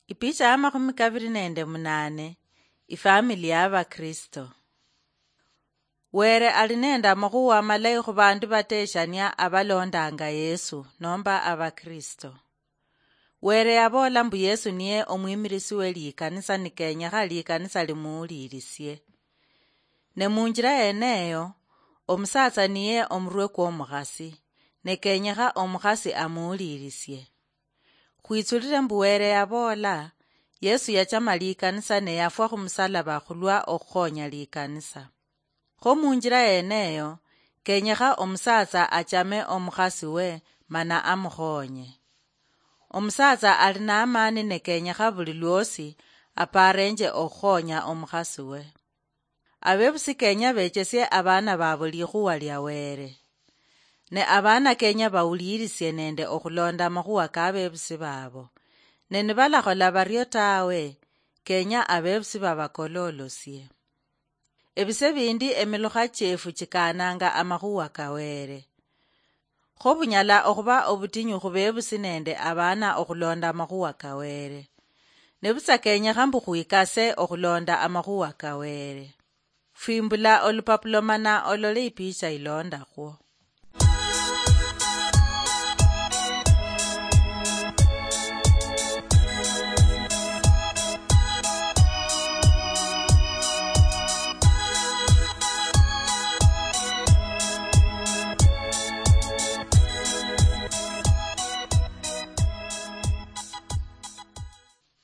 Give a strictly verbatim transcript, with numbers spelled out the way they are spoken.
Ipicha ya makhumi kaviri nende munane. Ifamili ya Vakristo. Were ali nende amakhuwa amalayi khu vandu vateshania avalondanga Yesu nomba Avakristo. Were yavoola mbu Yesu niye omwimirisi we likanisa, nikenyekha likanisa limuwulirisie. Ne munjira yeneyo, omusatsa niye omurwe kwomukhasi, ne kenyekha omukhasi amuwulirisie. Khwitsulire mbu Were yavoola, Yesu yachama likanisa ne yafwa khumusalaba khulwa okhukhonya likanisa. Kho munjira yeneyo, kenyekha omusatsa achame omukhasi we mana amukhonye. Omusatsa ali namani ne kenyekha vuli lwosi aparenje okhukhonya omukhasi we. Avevusi kenya vechesie avana vavo likhuwa lia Were. Ne avana kenya vawulirisie nende okhulonda amakhuwa ka vevusi vavo. Ne nivalakhola vario tawe, kenya avevusi vavakololosie. Evise vindi emilukha chiefu chikaananga amakhuwa ka Were. Kho vunyala okhuva ovutinyu khu vevusi nende avana okhulonda amakhuwa ka Were. Nevutsa kenyekha mbu khwikase okhulonda amakhuwa ka Were. Fwimbula olupapulo mana olole ipicha ilondakhwo.